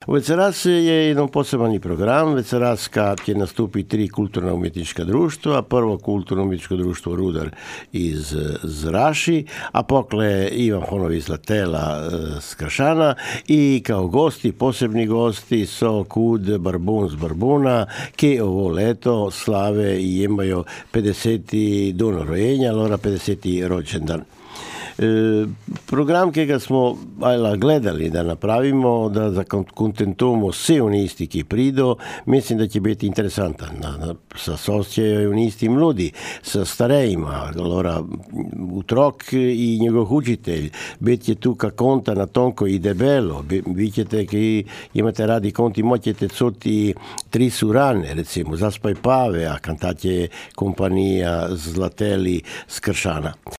Večeras je jedan poseban program. Večeras kad će nastupi 3 kulturno umjetnička društva. Prvo kulturno umjetničko društvo Rudar iz Zraši, a pokle Ivan Honov iz Latela z Kršana i kao gosti, posebni gosti so Kud Barbun z Barbuna, ki ovo leto slave i imaju 50. dan rojenja, allora 50. rođendan. Program, ki ga smo gledali da napravimo, da zakontentujemo vse unisti, ki prido, mislim, da će biti interesantan. Sa sosjejo unisti mludi, sa starejima, allora utrok i njegov učitelj, biti je tu ka konta na tonko i debelo, vi ćete, ki imate radi konti, moćete cuti 3 surane, recimo, Zaspaj Pave, a kantat je kompanija Zlateli z Kršana.